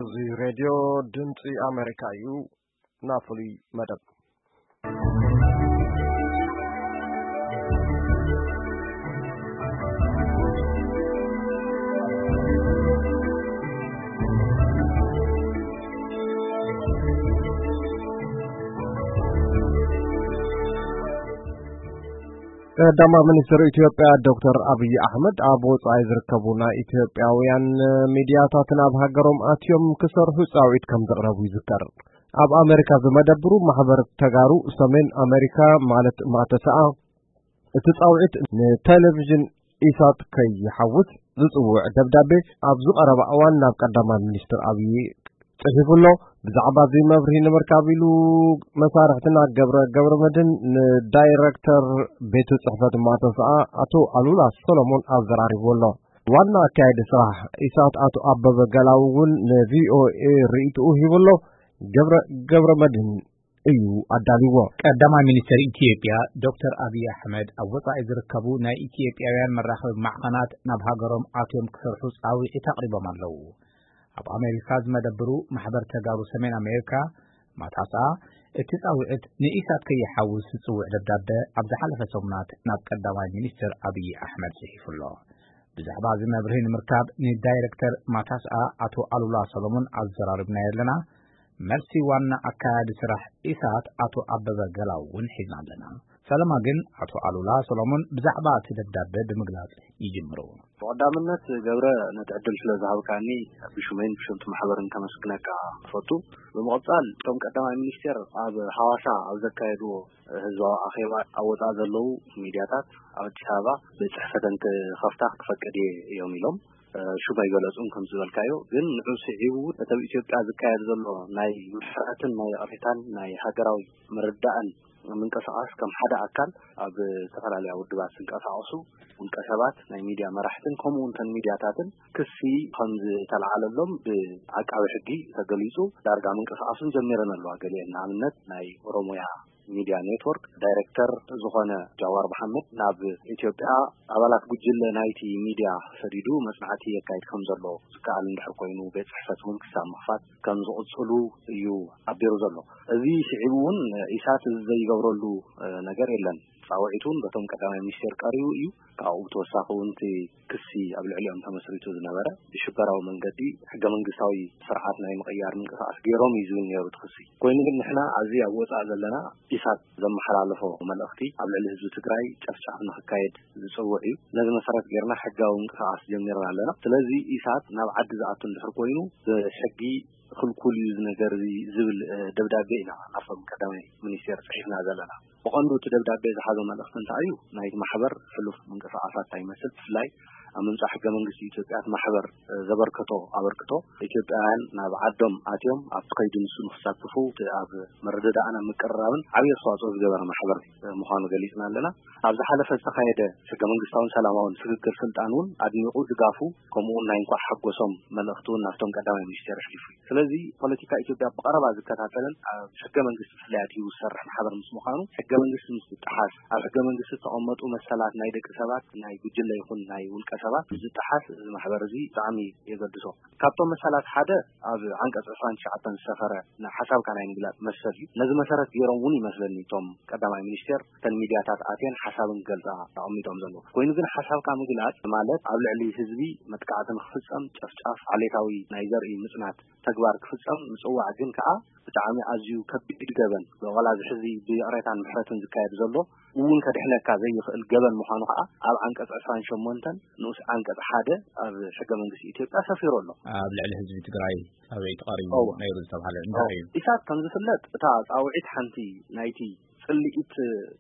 እዚ ሬድዮ ድምፂ ኣሜሪካ እዩ። ናብ ፍሉይ መደብ። ቀዳማይ ሚኒስትር ኢትዮጵያ ዶክተር ኣብይ ኣሕመድ ኣብ ወጻኢ ዝርከቡ ናይ ኢትዮጵያውያን ሚድያታት ናብ ሃገሮም ኣትዮም ክሰርሑ ጻውዒት ከም ዘቕረቡ ይዝከር። ኣብ ኣሜሪካ ዝመደብሩ ማሕበር ተጋሩ ሰሜን ኣሜሪካ ማለት ማተሰኣ እቲ ጻውዒት ንቴሌቪዥን ኢሳት ከይሓውስ ዝጽውዕ ደብዳቤ ኣብ ዝቐረበ እዋን ናብ ቀዳማይ ሚኒስትር ኣብይ ጽሒፉ ኣሎ። ብዛዕባ እዚ መብርሂ ንምርካብ ኢሉ መሳርሕትና ገብረ ገብረ መድን ንዳይረክተር ቤት ጽሕፈት ማተሰኣ ኣቶ ኣሉላ ሰሎሞን ኣዘራሪቡ ኣሎ። ዋና ኣካያዲ ስራሕ ኢሳት ኣቶ ኣበበ ገላው እውን ንቪኦኤ ርእይትኡ ሂቡ ኣሎ። ገብረ ገብረ መድን እዩ ኣዳልዎ። ቀዳማይ ሚኒስትር ኢትዮጵያ ዶክተር ኣብይ ኣሕመድ ኣብ ወጻኢ ዝርከቡ ናይ ኢትዮጵያውያን መራኸቢ ማዕኸናት ናብ ሃገሮም ኣትዮም ክሰርሑ ጻውዒት ኣቕሪቦም ኣለዉ። ኣብ ኣሜሪካ ዝመደብሩ ማሕበር ተጋሩ ሰሜን ኣሜሪካ ማታሳ እቲ ጻውዒት ንኢሳት ከይሓውስ ዝጽውዕ ደብዳበ ኣብ ዝሓለፈ ሰሙናት ናብ ቀዳማይ ሚኒስትር ኣብይ ኣሕመድ ጽሒፉ ኣሎ። ብዛዕባ እዚ መብርሂ ንምርካብ ንዳይረክተር ማታስኣ ኣቶ ኣሉላ ሰሎሞን ኣዘራርብና ኣለና። መልሲ ዋና ኣካያዲ ስራሕ ኢሳት ኣቶ ኣበበ ገላው እውን ሒዝና ኣለና። ፈለማ ግን ኣቶ ኣሉላ ሰሎሞን ብዛዕባ እቲ ደብዳበ ብምግላጽ ይጅምሩ። ብቐዳምነት ገብረ፣ ነቲ ዕድል ስለ ዝሃብካኒ ብሽመይን ብሽምቲ ማሕበርን ከመስግነካ እፈቱ። ብምቕጻል እቶም ቀዳማይ ሚኒስቴር ኣብ ሃዋሳ ኣብ ዘካየድዎ ህዝባዊ ኣኼባ ኣብ ወጻኢ ዘለዉ ሚድያታት ኣብ ኣዲስ ኣበባ ቤት ጽሕፈተን ክኸፍታ ክፈቅድ እየ እዮም ኢሎም። ሽም ኣይገለጹን ከም ዝበልካዮ፣ ግን ንዑ ስዒቡ እውን እቲ ኣብ ኢትዮጵያ ዝካየድ ዘሎ ናይ ምሕረትን ናይ ይቕሬታን ናይ ሃገራዊ ምርዳእን ምንቅስቓስ ከም ሓደ ኣካል ኣብ ዝተፈላለያ ውድባት ዝንቀሳቐሱ ውልቀ ሰባት፣ ናይ ሚድያ መራሕትን ከምኡ እውን ተን ሚድያታትን ክሲ ከም ዝተለዓለሎም ብዓቃቢ ሕጊ ተገሊጹ። ዳርጋ ምንቅስቓሱን ጀሚረን ኣለዋ። ገሊአን ንኣብነት ናይ ኦሮሞያ ሚድያ ኔትወርክ ዳይሬክተር ዝኾነ ጃዋር መሓመድ ናብ ኢትዮጵያ ኣባላት ጉጅለ ናይቲ ሚድያ ሰዲዱ መጽናዕቲ የካይድ ከም ዘሎ ዝከኣል እንድሕር ኮይኑ ቤት ጽሕፈት እውን ክሳብ ምኽፋት ከም ዝቕጽሉ እዩ ሓቢሩ ዘሎ። እዚ ስዒቡ እውን ኢሳት እዚ ዘይገብረሉ ነገር የለን። ጻውዒት እውን በቶም ቀዳማይ ሚኒስቴር ቀሪቡ እዩ። ካብኡ ብተወሳኺ እውን እቲ ክሲ ኣብ ልዕሊኦም ተመስሪቱ ዝነበረ ብሽበራዊ መንገዲ ሕገ መንግስታዊ ስርዓት ናይ ምቕያር ምንቅስቓስ ገይሮም እዩ ዝብል ነይሩ እቲ ክሲ። ኮይኑ ግን ንሕና ኣብዚ ኣብ ወጻኢ ዘለና ኢሳት ዘመሓላለፎ መልእኽቲ ኣብ ልዕሊ ህዝቢ ትግራይ ጨፍጫፍ ንክካየድ ዝጽውዕ እዩ። ነዚ መሰረት ጌርና ሕጋዊ ምንቅስቓስ ጀሚርና ኣለና። ስለዚ ኢሳት ናብ ዓዲ ዝኣቱ እንድሕር ኮይኑ ብሕጊ ክልኩል እዩ እዚ ነገር እዚ ዝብል ደብዳቤ ኢና ናብቶም ቀዳማይ ሚኒስቴር ጽሒፍና ዘለና። ብቐንዱ እቲ ደብዳቤ ዝሓዞ መልእኽቲ እንታይ እዩ? ናይቲ ማሕበር ሕሉፍ ምንቅስቓሳት እንታይ ይመስል? ብፍላይ ኣብ ምምጻእ ሕገ መንግስቲ ኢትዮጵያ እቲ ማሕበር ዘበርከቶ ኣበርክቶ፣ ኢትዮጵያውያን ናብ ዓዶም ኣትዮም ኣብቲ ከይዲ ንሱ ንክሳተፉ እቲ ኣብ ምርድዳእን ኣብ ምቅርራብን ዓብዪ ኣስተዋፅኦ ዝገበረ ማሕበር ምዃኑ ገሊፅና ኣለና። ኣብ ዝሓለፈ ዝተኻየደ ሕገ መንግስታውን ሰላማውን ስግግር ስልጣን እውን ኣድኒቑ ድጋፉ ከምኡ እውን ናይ እንኳዕ ሓጎሶም መልእኽቲ እውን ናብቶም ቀዳማይ ሚኒስቴር ኣሕሊፉ እዩ። ስለዚ ፖለቲካ ኢትዮጵያ ብቐረባ ዝከታተልን ኣብ ሕገ መንግስቲ ብፍላይ ኣድሂቡ ዝሰርሕ ማሕበር ምስ ምዃኑ ሕገ መንግስቲ ምስ ዝጠሓስ፣ ኣብ ሕገ መንግስቲ ዝተቐመጡ መሰላት ናይ ደቂ ሰባት ናይ ጉጅለ ይኹን ናይ ውልቀ ሰባት ምስ ዝጠሓስ እዚ ማሕበር እዚ ብጣዕሚ የገድሶ። ካብቶም መሰላት ሓደ ኣብ ዓንቀፅ ዕስራን ትሽዓተን ዝሰፈረ ንሓሳብካ ናይ ምግላፅ መሰል እዩ። ነዚ መሰረት ገይሮም እውን ይመስለኒ እቶም ቀዳማይ ሚኒስቴር እተን ሚድያታት ኣትየን ሓሳብን ክገልፃ ኣቐሚጦም ዘለዉ። ኮይኑ ግን ሓሳብካ ምግላፅ ማለት ኣብ ልዕሊ ህዝቢ መጥቃዕቲ ንክፍፀም፣ ጨፍጫፍ፣ ዓሌታዊ ናይ ዘርኢ ምፅናት ተግባር ክፍፀም ምፅዋዕ ግን ከዓ ብጣዕሚ ኣዝዩ ከቢድ ገበን፣ ብቐላዚ ሕዚ ብይቕሬታን ምሕረትን ዝካየድ ዘሎ እውን ከድሕነካ ዘይኽእል ገበን ምዃኑ ከዓ ኣብ ዓንቀፅ ዕስራን ሸሞንተን ንኡስ ዓንቀፅ ሓደ ኣብ ሕገ መንግስቲ ኢትዮጵያ ሰፊሩ ኣሎ። ኣብ ልዕሊ ህዝቢ ትግራይ ጻውዒት ቀሪቡ እወ። ነይሩ ዝተባህለ እንታይ እዩ? ኢሳት ከም ዝፍለጥ እታ ጻውዒት ሓንቲ ናይቲ ጽልኢት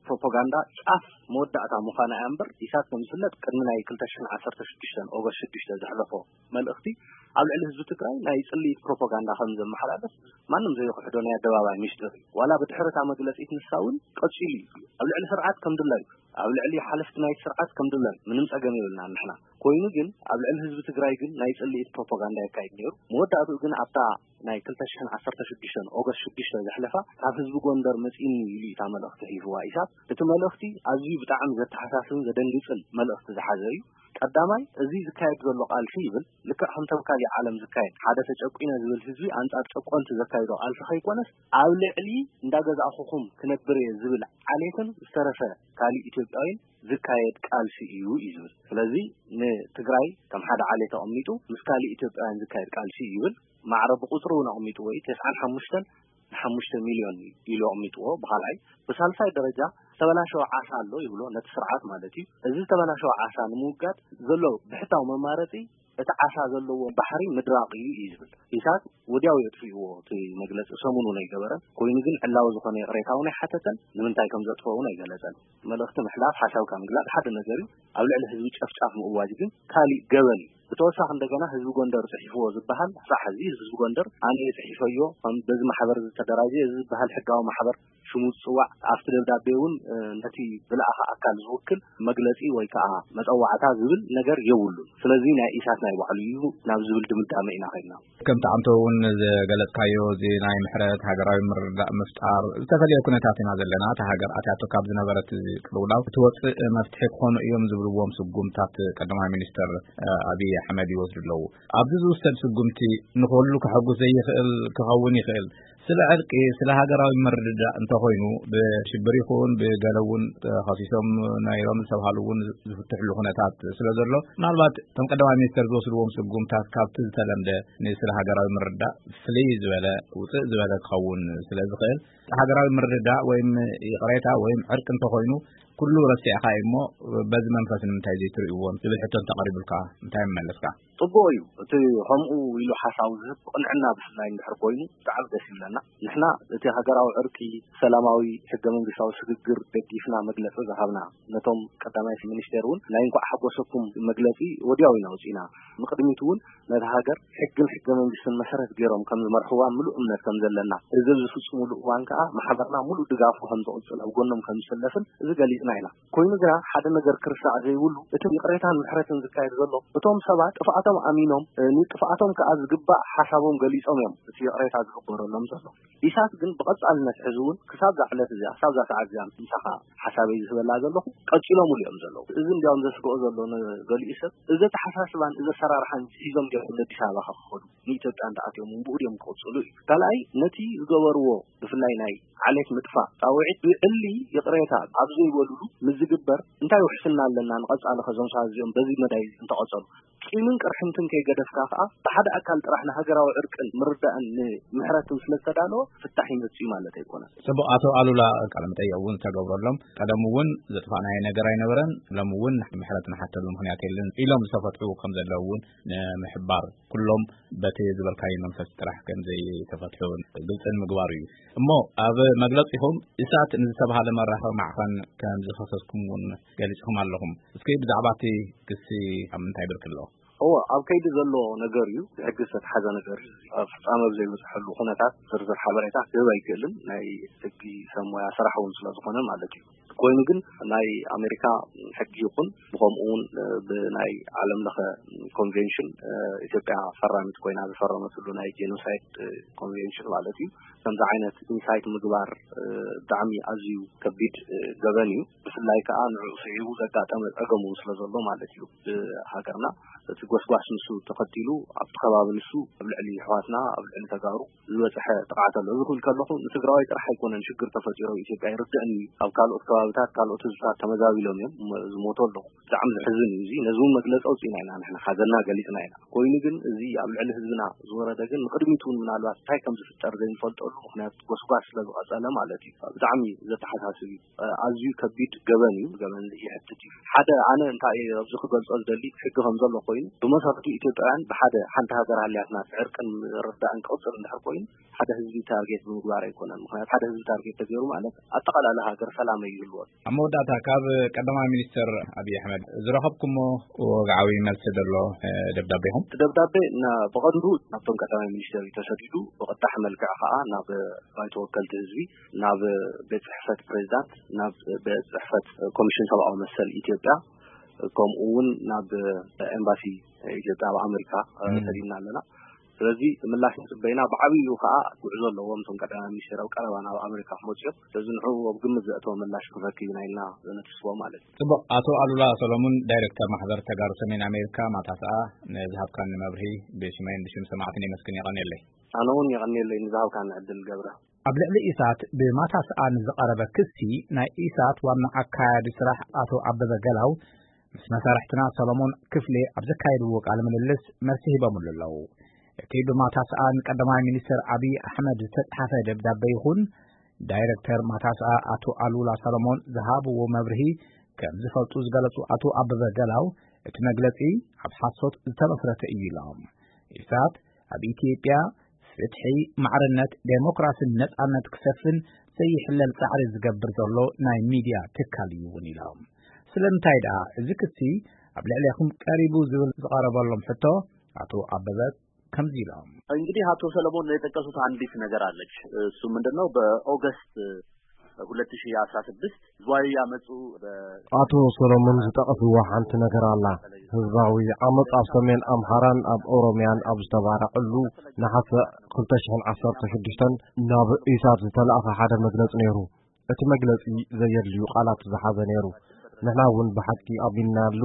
ፕሮፓጋንዳ ጫፍ መወዳእታ ምዃና እያ እምበር፣ ኢሳት ከም ዝፍለጥ ቅድሚ ናይ ክልተ ሽሕን ዓሰርተ ሽዱሽተን ኦገስት ሽዱሽተ ዘሕለፎ መልእኽቲ ኣብ ልዕሊ ህዝቢ ትግራይ ናይ ጽልኢት ፕሮፓጋንዳ ከም ዘመሓላልፍ ማንም ዘይክሕዶ ናይ ኣደባባይ ሚስጥር እዩ። ዋላ ብድሕሪ እታ መግለጺት ንሳ እውን ቀጺሉ እዩ። ኣብ ልዕሊ ስርዓት ከም ድላዩ፣ ኣብ ልዕሊ ሓለፍቲ ናይቲ ስርዓት ከም ድላዩ ምንም ጸገም የብልናን ንሕና። ኮይኑ ግን ኣብ ልዕሊ ህዝቢ ትግራይ ግን ናይ ጽልኢት ፕሮፓጋንዳ የካይድ ነይሩ። መወዳእትኡ ግን ኣብታ ናይ ክልተ ሽሕን ዓሰርተ ሽዱሽተን ኦገስት ሽዱሽተ ዘሕለፋ ካብ ህዝቢ ጎንደር መጺእኒ ኢሉ እዩ እታ መልእኽቲ ኣሕሊፍዋ ኢሳት። እቲ መልእኽቲ ኣዝዩ ብጣዕሚ ዘተሓሳስብን ዘደንግጽን መልእኽቲ ዝሓዘ እዩ። ቀዳማይ፣ እዚ ዝካየድ ዘሎ ቃልሲ ይብል፣ ልክዕ ከምቶም ካሊእ ዓለም ዝካየድ፣ ሓደ ተጨቁነ ዝብል ህዝቢ ኣንጻር ጨቆንቲ ዘካይዶ ቃልሲ ከይኮነስ፣ ኣብ ልዕሊ እንዳገዛእኹኹም ክነብር እየ ዝብል ዓሌትን ዝተረፈ ካሊእ ኢትዮጵያዊን ዝካየድ ቃልሲ እዩ እዩ ዝብል። ስለዚ ንትግራይ ከም ሓደ ዓሌት ኣቐሚጡ ምስ ካሊእ ኢትዮጵያውያን ዝካየድ ቃልሲ እዩ ይብል። ማዕረ ብቁፅሪ እውን ኣቐሚጡ ወይ ተስዓን ሓሙሽተን ንሓሙሽተ ሚልዮን ኢሉ ኣቕሚጥዎ ብኻልኣይ። ብሳልሳይ ደረጃ ዝተበላሸወ ዓሳ ኣሎ ይብሎ፣ ነቲ ስርዓት ማለት እዩ። እዚ ዝተበላሸወ ዓሳ ንምውጋድ ዘሎ ብሕታዊ መማረፂ እቲ ዓሳ ዘለዎ ባሕሪ ምድራቕ እዩ እዩ ዝብል። ኢሳት ወዲያው የጥፍእዎ እቲ መግለፂ፣ ሰሙን እውን ኣይገበረን። ኮይኑ ግን ዕላዊ ዝኾነ ይቕሬታ እውን ኣይሓተተን፣ ንምንታይ ከም ዘጥፍኦ እውን ኣይገለፀን። መልእኽቲ ምሕላፍ፣ ሓሳብካ ምግላፅ ሓደ ነገር እዩ፣ ኣብ ልዕሊ ህዝቢ ጨፍጫፍ ምእዋጅ ግን ካሊእ ገበን እዩ። ብተወሳኺ እንደገና ህዝቢ ጎንደር ፅሒፍዎ ዝበሃል፣ ክሳዕ ሕዚ ህዝቢ ጎንደር ኣነ እየ ፅሒፈዮ፣ ከም በዚ ማሕበር ዝተደራጀ እዚ ዝበሃል ሕጋዊ ማሕበር ሽሙ ዝፅዋዕ፣ ኣብቲ ደብዳቤ እውን ነቲ ዝለኣኸ ኣካል ዝውክል መግለፂ ወይ ከዓ መፀዋዕታ ዝብል ነገር የብሉን። ስለዚ ናይ ኢሳት ናይ ባዕሉ እዩ ናብ ዝብል ድምዳመ ኢና ኸይድና። ከምቲ ኣንተ እውን ዝገለጽካዮ፣ እዚ ናይ ምሕረት ሃገራዊ ምርዳእ ምፍጣር ዝተፈለየ ኩነታት ኢና ዘለና። እታ ሃገር ኣትያቶ ካብ ዝነበረት ቅልውላው ክትወጽእ መፍትሒ ክኾኑ እዮም ዝብልዎም ስጉምታት ቀዳማይ ሚኒስተር ኣብይ ኣሕመድ ይወስዱ ኣለዉ። ኣብዚ ዝውሰድ ስጉምቲ ንኹሉ ከሐጉስ ዘይኽእል ክኸውን ይኽእል። ስለ ዕርቂ፣ ስለ ሃገራዊ ምርድዳእ እንተኾይኑ፣ ብሽብር ይኹን ብገለ እውን ተኸሲሶም ነይሮም ዝተብሃሉ እውን ዝፍትሕሉ ኩነታት ስለ ዘሎ፣ ምናልባት እቶም ቀዳማይ ሚኒስተር ዝወስድዎም ስጉምታት ካብቲ ዝተለምደ ንስለ ሃገራዊ ምርድዳእ ፍልይ ዝበለ፣ ውፅእ ዝበለ ክኸውን ስለ ዝኽእል፣ ሃገራዊ ምርድዳእ ወይም ይቕሬታ ወይም ዕርቂ እንተኾይኑ፣ ኩሉ ረሲዕካ እዩ እሞ፣ በዚ መንፈስ ንምንታይ ዘይትርእይዎም ዝብል ሕቶ እንተቐሪቡልካ እንታይ ምመለስካ? ጽቡቕ እዩ። እቲ ከምኡ ኢሉ ሓሳቡ ዝህብ ብቕንዕና ብፍላይ እንድሕር ኮይኑ ብጣዕሚ ደስ ይብለና። ንሕና እቲ ሃገራዊ ዕርቂ፣ ሰላማዊ ሕገ መንግስታዊ ስግግር ደጊፍና መግለጺ ዝሃብና፣ ነቶም ቀዳማይ ሚኒስቴር እውን ናይ እንኳዕ ሓጎሰኩም መግለጺ ወዲያው ኢና ኣውጺእና። ንቕድሚት እውን ነታ ሃገር ሕግን ሕገ መንግስትን መሰረት ገይሮም ከም ዝመርሕዋ ምሉእ እምነት ከም ዘለና፣ እዚ ኣብ ዝፍጽሙሉ እዋን ከኣ ማሕበርና ምሉእ ድጋፉ ከም ዘቕጽል ኣብ ጎኖም ከም ዝስለፍን እዚ ገሊጽና ኢና። ኮይኑ ግና ሓደ ነገር ክርሳዕ ዘይብሉ፣ እቲ ይቕሬታን ምሕረትን ዝካየድ ዘሎ፣ እቶም ሰባት ጥፍኣቶም ኣሚኖም፣ እ፣ ንጥፍኣቶም ከኣ ዝግባእ ሓሳቦም ገሊጾም እዮም እቲ ይቕሬታ ዝግበረሎም ዘሎ። ኢሳት ግን ብቐጻልነት ሕዚ እውን ክሳብ እዛ ዕለት እዚኣ፣ ክሳብ እዛ ሰዓት እዚኣ ምሳኻ ሓሳበይ ዝህበላ ዘለኹ፣ ቀጺሎምሉ እዮም ዘለዉ። እዚ እንዲያውም ዘስግኦ ዘሎ ንገሊኡ ሰብ፣ እዚ ኣተሓሳስባን እዚ ኣሰራርሓን ሒዞም ድዮም ወደ ኣዲስ ኣበባ ክኸዱ፣ ንኢትዮጵያ እንተኣትዮም እውን ብኡ ድዮም ክቕጽሉ እዩ። ካልኣይ፣ ነቲ ዝገበርዎ ብፍላይ ናይ ዓሌት ምጥፋእ ጻውዒት ብዕሊ ይቕሬታ ኣብ ዘይበሉሉ ምስ ዝግበር እንታይ ውሕስና ኣለና ንቐጻሊ ከዞም ሰባት እዚኦም በዚ መዳይ እዚ እንተቐጸሉ? ቂምን ቅርሕንትን ከይገደፍካ ከኣ ብሓደ ኣካል ጥራሕ ንሃገራዊ ዕርቅን ምርዳእን ንምሕረትን ስለ ዝተዳለወ ፍታሕ ይመጽእ እዩ ማለት ኣይኮነን። ጽቡቕ፣ ኣቶ ኣሉላ፣ ቃለ መጠይቕ እውን ዝተገብረሎም፣ ቀደም እውን ዘጥፋእናዮ ነገር ኣይነበረን፣ ሎም እውን ምሕረት ንሓተሉ ምኽንያት የለን ኢሎም ዝተፈትሑ ከም ዘለዉ እውን ንምሕባር፣ ኩሎም በቲ ዝበልካዮ መንፈስ ጥራሕ ከም ዘይተፈትሑ ግልጺ ንምግባር እዩ። እሞ ኣብ መግለጺኹም ኢሳት ንዝተባሃለ መራኸቢ ማዕኸን ከም ዝኸሰስኩም እውን ገሊጽኩም ኣለኹም። እስኪ ብዛዕባ እቲ ክሲ ኣብ ምንታይ ብርኪ ኣሎ? እዎ፣ ኣብ ከይዲ ዘሎ ነገር እዩ፣ ብሕጊ ዝተትሓዘ ነገር እዩ። ኣብ ፍጻመ ኣብ ዘይበጽሐሉ ኩነታት ዝርዝር ሓበሬታ ክህብ ኣይክእልን፣ ናይ ሕጊ ሰብ ሞያ ስራሕ እውን ስለ ዝኾነ ማለት እዩ። ኮይኑ ግን ናይ ኣሜሪካ ሕጊ ይኹን፣ ብኸምኡ እውን ብናይ ዓለም ለኸ ኮንቬንሽን፣ ኢትዮጵያ ፈራሚት ኮይና ዝፈረመትሉ ናይ ጄኖሳይድ ኮንቬንሽን ማለት እዩ፣ ከምዚ ዓይነት ኢንሳይት ምግባር ብጣዕሚ ኣዝዩ ከቢድ ገበን እዩ። ብፍላይ ከዓ ንዕኡ ስዒቡ ዘጋጠመ ጸገም እውን ስለ ዘሎ ማለት እዩ። ብሃገርና እቲ ጎስጓስ ንሱ ተኸቲሉ ኣብቲ ከባቢ ንሱ ኣብ ልዕሊ ኣሕዋትና፣ ኣብ ልዕሊ ተጋሩ ዝበፅሐ ጥቕዓት ኣሎ። እዚ ክብል ከለኹ ንትግራዋይ ጥራሕ ኣይኮነን ሽግር ተፈጢሩ ኣብ ኢትዮጵያ፣ ይርድእኒ እዩ። ኣብ ካልኦት ከባብታት ካልኦት ህዝብታት ተመዛቢሎም እዮም እሞ ዝሞቱ ኣለዉ። ብጣዕሚ ዘሕዝን እዩ። እዚ ነዚ እውን መግለፂ ኣውፂእና ኢና፣ ንሕና ሓዘንና ገሊፅና ኢና። ኮይኑ ግን እዚ ኣብ ልዕሊ ህዝብና ዝወረደ ግን ንቅድሚት እውን ምናልባት እንታይ ከም ዝፍጠር ዘይንፈልጠሉ ምኽንያት ጎስጓስ ስለ ዝቐፀለ ማለት እዩ። ብጣዕሚ ዘተሓሳስብ እዩ። ኣዝዩ ከቢድ ገበን እዩ። ገበን ይሕትት እዩ። ሓደ ኣነ እንታይ ኣብዚ ክገልጾ ዝደሊ፣ ሕጊ ከም ዘሎ ኮይኑ ብመሰረቱ ኢትዮጵያውያን ብሓደ ሓንቲ ሃገር ሃልያትና ዕርቅን ምርዳእን ክቕጽል እንድሕር ኮይኑ ሓደ ህዝቢ ታርጌት ብምግባር ኣይኮነን። ምኽንያቱ ሓደ ህዝቢ ታርጌት ተገይሩ ማለት ኣጠቓላሊ ሃገር ሰላም ኣይህልዎን። ኣብ መወዳእታ ካብ ቀዳማይ ሚኒስትር ኣብይ ኣሕመድ ዝረኸብኩሞ ወግዓዊ መልሲ ዘሎ ደብዳቤኹም? እቲ ደብዳቤ ና-፣ ብቐንዱ ናብቶም ቀዳማይ ሚኒስትር እዩ ተሰዲዱ። ብቐጥታ መልክዕ ከዓ ናብ ባይቶ ወከልቲ ህዝቢ፣ ናብ ቤት ጽሕፈት ፕሬዚዳንት፣ ናብ ቤት ጽሕፈት ኮሚሽን ሰብኣዊ መሰል ኢትዮጵያ፣ ከምኡ እውን ናብ ኤምባሲ ኢትዮጵያ ኣብ ኣሜሪካ፣ እ፣ እም። ሰዲድና ኣለና። ስለዚ ምላሽ ንፅበይና። ብዓብዩ ከዓ ጉዕዞ ኣለዎም እቶም ቀዳማይ ሚኒስትር ኣብ ቀረባ ናብ ኣሜሪካ ክመፅኦም። ስለዚ ንዕኡ ኣብ ግምት ዘእተወ ምላሽ ክንረክብ ኢና ኢልና ነትስቦ ማለት እዩ። ፅቡቅ። ኣቶ ኣሉላ ሰሎሙን፣ ዳይሬክተር ማሕበር ተጋሩ ሰሜን ኣሜሪካ ማታስኣ፣ ንዝሃብካኒ መብርሂ ብሽመይን ብሽም ሰማዕትን የመስግን። የቐንየለይ። ኣነ እውን የቐንየለይ ንዝሃብካኒ ዕድል ገብረ። ኣብ ልዕሊ ኢሳት ብማታስኣ ንዝቐረበ ክሲ፣ ናይ ኢሳት ዋና ኣካያዲ ስራሕ ኣቶ ኣበበ ገላው ምስ መሳርሕትና ሰሎሞን ክፍሌ ኣብ ዘካየድዎ ቃለ ምልልስ መልሲ ሂቦምሉ ኣለዉ። እቲ ብማታስኣ ንቀዳማይ ሚኒስትር ኣብይ ኣሕመድ ዝተጻሓፈ ደብዳቤ ይኹን ዳይረክተር ማታስኣ ኣቶ ኣሉላ ሰሎሞን ዝሃብዎ መብርሂ ከም ዝፈልጡ ዝገለጹ ኣቶ ኣበበ ገላው፣ እቲ መግለጺ ኣብ ሓሶት ዝተመስረተ እዩ ኢሎም። ኢሳት ኣብ ኢትዮጵያ ፍትሒ፣ ማዕርነት፣ ዴሞክራስን ነጻነት ክሰፍን ዘይሕለል ጻዕሪ ዝገብር ዘሎ ናይ ሚድያ ትካል እዩ እውን ኢሎም። ስለምንታይ ደኣ እዚ ክሲ ኣብ ልዕሌኹም ቀሪቡ ዝብል ዝቐረበሎም ሕቶ፣ ኣቶ ኣበበ ከምዚ ኢሎም። እንግዲህ ኣቶ ሰለሞን የጠቀሱት አንዲት ነገር አለች። እሱ ምንድን ነው? በኦገስት ሁለት ሺህ አስራ ስድስት ዝዋይ ያመጹ በ- ኣቶ ሰሎሞን ዝጠቐስዎ ሓንቲ ነገር ኣላ። ህዝባዊ ዓመጽ ኣብ ሰሜን ኣምሓራን ኣብ ኦሮምያን ኣብ ዝተባርዐሉ ነሓሰ ክልተ ሽሕን ዓሰርተ ሽዱሽተን ናብ ኢሳት ዝተላእኸ ሓደ መግለጺ ነይሩ። እቲ መግለጺ ዘየድልዩ ቃላት ዝሓዘ ነይሩ። ንሕና እውን ብሓቂ ኣሚንናሉ።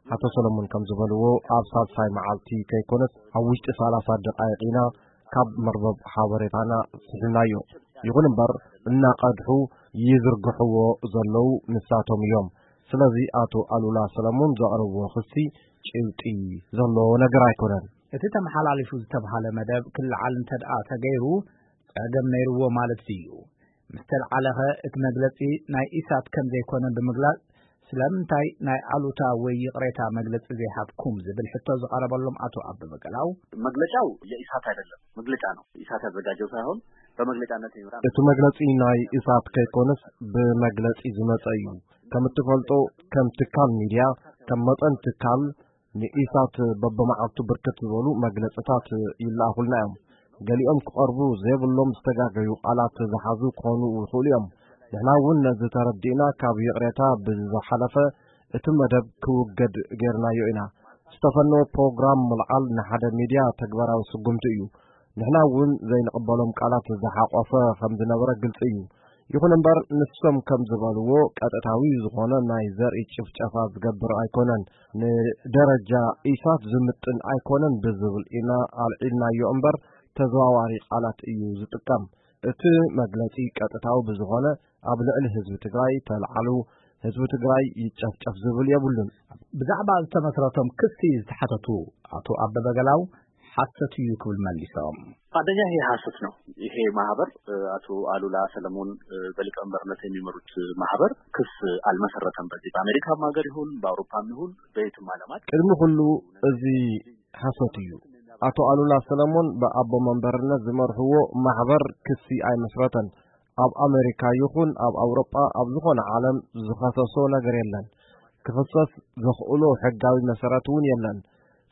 ኣቶ ሰሎሞን ከም ዝበልዎ፣ ኣብ ሳልሳይ መዓልቲ ከይኮነስ ኣብ ውሽጢ ሰላሳ ደቓይቕ ኢና ካብ መርበብ ሓበሬታና ስሒብናዮ። ይኹን እምበር፣ እናቐድሑ ይዝርግሕዎ ዘለዉ ንሳቶም እዮም። ስለዚ ኣቶ ኣሉላ ሰለሙን ዘቕረብዎ ክሲ ጭብጢ ዘለዎ ነገር ኣይኮነን። እቲ ተመሓላሊፉ ዝተብሃለ መደብ ክለዓል እንተ ደኣ ተገይሩ፣ ጸገም ነይርዎ ማለት ድዩ? ምስ ተለዓለኸ እቲ መግለጺ ናይ ኢሳት ከም ዘይኮነ ብምግላጽ፣ ስለምንታይ ናይ ኣሉታ ወይ ይቕሬታ መግለጺ ዘይሃብኩም ዝብል ሕቶ ዝቐረበሎም ኣቶ ኣበበ ገላው፣ መግለጫው የኢሳት አይደለም፣ መግለጫ ነው። ኢሳት ያዘጋጀው ሳይሆን በመግለጫነት የሚመራ። እቲ መግለጺ ናይ ኢሳት ከይኮነስ ብመግለጺ ዝመጸ እዩ። ከም እትፈልጦ፣ ከም ትካል ሚድያ፣ ከም መጠን ትካል፣ ንኢሳት በብመዓልቱ ብርክት ዝበሉ መግለጽታት ይለኣኹልና እዮም። ገሊኦም ክቐርቡ ዘይብሎም ዝተጋገዩ ቃላት ዝሓዙ ክኾኑ ይኽእሉ እዮም። ንሕና እውን ነዚ ተረዲእና፣ ካብ ይቕሬታ ብዝሓለፈ እቲ መደብ ክውገድ ጌርናዮ ኢና። ዝተፈነወ ፕሮግራም ምልዓል ንሓደ ሚድያ ተግባራዊ ስጉምቲ እዩ። ንሕና እውን ዘይንቕበሎም ቃላት ዝሓቆፈ ከም ዝነበረ ግልጺ እዩ። ይኹን እምበር፣ ንሶም ከም ዝበልዎ፣ ቀጥታዊ ዝኾነ ናይ ዘርኢ ጭፍጨፋ ዝገብር ኣይኮነን። ንደረጃ ኢሳት ዝምጥን ኣይኮነን ብዝብል ኢና ኣልዒልናዮ እምበር፣ ተዘዋዋሪ ቃላት እዩ ዝጥቀም። እቲ መግለጺ ቀጥታዊ ብዝኾነ፣ ኣብ ልዕሊ ህዝቢ ትግራይ ተልዓሉ፣ ህዝቢ ትግራይ ይጨፍጨፍ ዝብል የብሉን። ብዛዕባ ዝተመስረቶም ክሲ ዝተሓተቱ ኣቶ ኣበበ ገላው፣ ሓሰት እዩ ክብል መሊሶም። አንደኛ፣ ይሄ ሐሰት ነው። ይሄ ማህበር፣ እ፣ አቶ አሉላ ሰለሞን፣ እ፣ በሊቀመንበርነት የሚመሩት ማህበር ክስ አልመሰረተም። በዚህ በአሜሪካም ሀገር ይሁን በአውሮፓም ይሁን በየትም ዓለማት ቅድሚ ኩሉ፣ እዚ ሐሰት እዩ። ኣቶ ኣሉላ ሰለሞን ብኣቦ መንበርነት ዝመርሕዎ ማሕበር ክሲ ኣይመስረተን። ኣብ ኣሜሪካ ይኹን ኣብ ኣውሮጳ፣ ኣብ ዝኾነ ዓለም ዝኸሰሶ ነገር የለን። ክኽሰስ ዘኽእሎ ሕጋዊ መሰረት እውን የለን።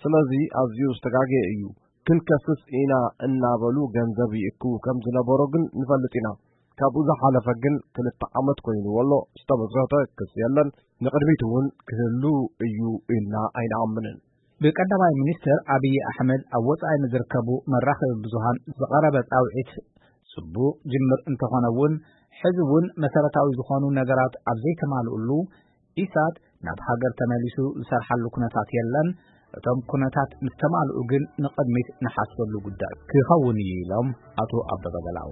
ስለዚ ኣዝዩ ዝተጋገየ እዩ። ክንከስስ ኢና እናበሉ ገንዘብ ይእክቡ ከም ዝነበሮ ግን ንፈልጥ ኢና። ካብኡ ዝሓለፈ ግን ክልተ ዓመት ኮይንዎ ኣሎ። ዝተመስረተ ክሲ የለን። ንቕድሚት እውን ክህሉ እዩ ኢልና ኣይንኣምንን። ብቀዳማይ ሚኒስትር ኣብይ ኣሕመድ ኣብ ወጻኢ ንዝርከቡ መራኸቢ ብዙሃን ዝቐረበ ጻውዒት ጽቡቕ ጅምር እንተኾነ እውን፣ ሕዚ እውን መሰረታዊ ዝኾኑ ነገራት ኣብ ዘይተማልኡሉ፣ ኢሳት ናብ ሃገር ተመሊሱ ዝሰርሓሉ ኩነታት የለን። እቶም ኩነታት ምስ ተማልኡ ግን ንቕድሚት ንሓስበሉ ጉዳይ ክኸውን እዩ ኢሎም ኣቶ ኣበበ ገላው።